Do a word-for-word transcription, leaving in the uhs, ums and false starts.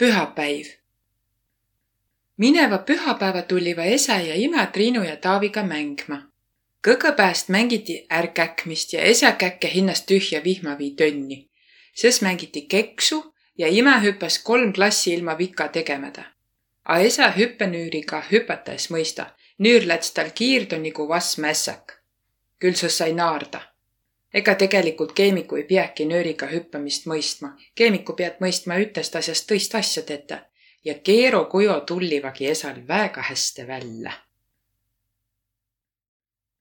Pühäpäiv. Mineva pühäpäevä tulliva esä ja imä Triinu ja Taaviga mängma. Kõgõpääst mängiti ärkäkmist ja esä käkke hinnäst tühjä vihmavii tönni. Ses mängiti keksu ja imä hüppäs kolm klassi ilma vika tegemädä. A esä hüppenüüriga hüpätä es mõista, nüür läts tal kiirdo nigu vass mässäk. Küll sõs sai naarda. Ega tegelikult keemiku ei piäki nüüriga hüppämist mõistma. Keemiku piät mõistma üttest asjast tõist asja tetä. Ja keerokujo tullivagi esal väega häste vällä.